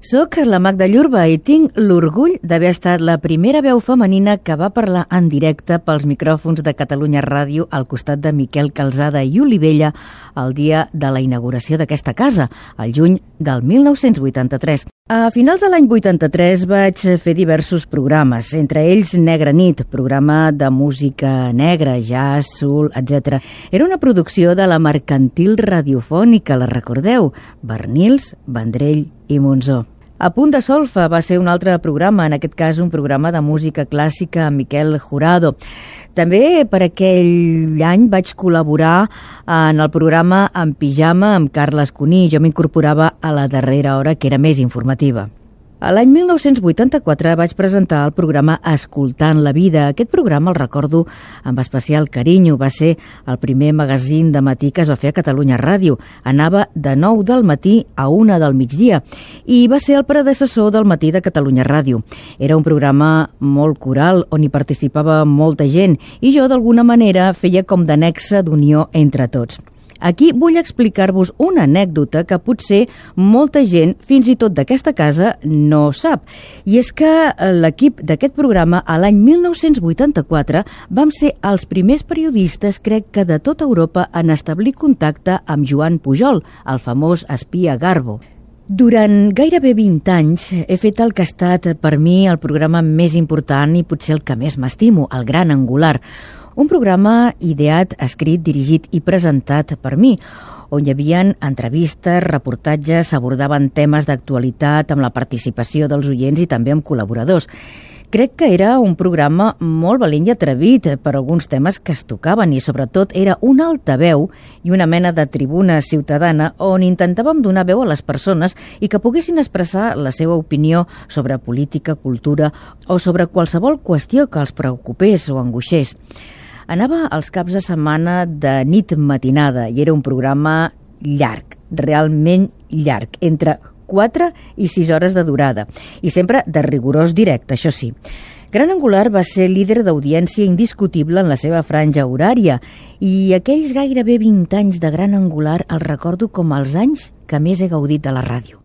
Soc la Magda Llurba i tinc l'orgull d'haver estat la primera veu femenina que va parlar en directe pels micròfons de Catalunya Ràdio al costat de Miquel Calzada i Olivella el dia de la inauguració d'aquesta casa, el juny del 1983. A finals de l'any 83 vaig fer diversos programes, entre ells Negra Nit, programa de música negra, jazz, soul, etc. Era una producció de la Mercantil Radiofònica, la recordeu? Bernils, Vendrell i Monzó. A Punt de Solfa va ser un altre programa, en aquest cas un programa de música clàssica amb Miquel Jurado. També per aquell any vaig col·laborar en el programa En Pijama amb Carles Cuní. Jo m'incorporava a la darrera hora, que era més informativa. A l'any 1984 vaig presentar el programa Escoltant la vida. Aquest programa el recordo amb especial carinyo. Va ser el primer magazín de matí que es va fer a Catalunya Ràdio. Anava de 9 del matí a 1 del migdia i va ser el predecessor del matí de Catalunya Ràdio. Era un programa molt coral on hi participava molta gent i jo d'alguna manera feia com de nexe d'unió entre tots. Aquí vull explicar-vos una anècdota que potser molta gent, fins i tot d'aquesta casa, no sap. I és que l'equip d'aquest programa, a l'any 1984, vam ser els primers periodistes, crec que de tota Europa, en establir contacte amb Joan Pujol, el famós espia Garbo. Durant gairebé 20 anys he fet el que ha estat per mi el programa més important i potser el que més m'estimo, el Gran Angular. Un programa ideat, escrit, dirigit i presentat per mi, on hi havia entrevistes, reportatges, s'abordaven temes d'actualitat amb la participació dels oients i també amb col·laboradors. Crec que era un programa molt valent i atrevit per alguns temes que es tocaven i sobretot era una altaveu i una mena de tribuna ciutadana on intentàvem donar veu a les persones i que poguessin expressar la seva opinió sobre política, cultura o sobre qualsevol qüestió que els preocupés o angoixés. Anava als caps de setmana de nit matinada i era un programa llarg, realment llarg, entre 4 i 6 hores de durada, i sempre de rigorós directe, això sí. Gran Angular va ser líder d'audiència indiscutible en la seva franja horària i aquells gairebé 20 anys de Gran Angular els recordo com els anys que més he gaudit de la ràdio.